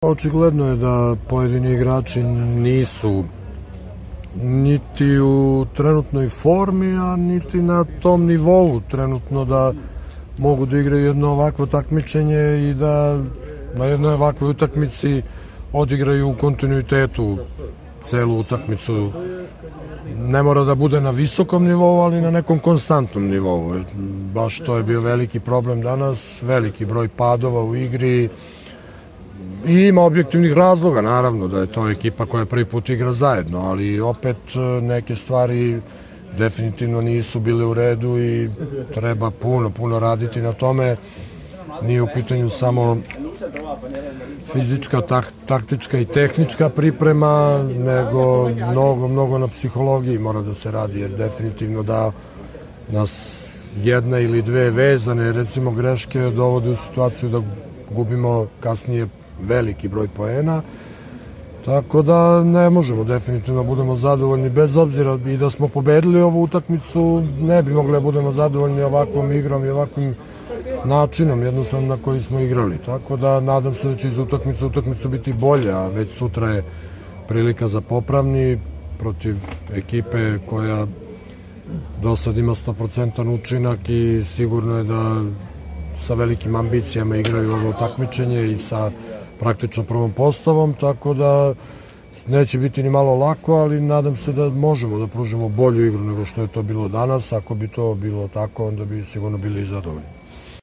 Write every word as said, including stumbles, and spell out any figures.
Očigledno je da pojedini igrači nisu niti u trenutnoj formi, a niti na tom nivou trenutno da mogu da igraju jedno ovakvo takmičenje i da na jednoj ovakvoj utakmici odigraju u kontinuitetu celu utakmicu. Ne mora da bude na visokom nivou, ali na nekom konstantnom nivou. Baš to je bio veliki problem danas, veliki broj padova u igri. I ima objektivnih razloga, naravno, da je to ekipa koja prvi put igra zajedno, ali opet neke stvari definitivno nisu bile u redu i treba puno, puno raditi na tome. Nije u pitanju samo fizička, taktička i tehnička priprema, nego mnogo, mnogo na psihologiji mora da se radi, jer definitivno da nas jedna ili dve vezane, recimo greške, dovode u situaciju da gubimo kasnije veliki broj poena, tako da ne možemo definitivno budemo zadovoljni, bez obzira i da smo pobedili ovu utakmicu, ne bi mogli da budemo zadovoljni ovakvom igrom i ovakvim načinom jednostavno na koji smo igrali, tako da nadam se da će iz utakmice utakmicu biti bolje, a već sutra je prilika za popravni protiv ekipe koja do sad ima sto posto učinak i sigurno je da sa velikim ambicijama igraju ovo takmičenje i sa praktično prvom postavom, tako da neće biti ni malo lako, ali nadam se da možemo da pružimo bolju igru nego što je to bilo danas. Ako bi to bilo tako, onda bi sigurno bili i zadovoljni.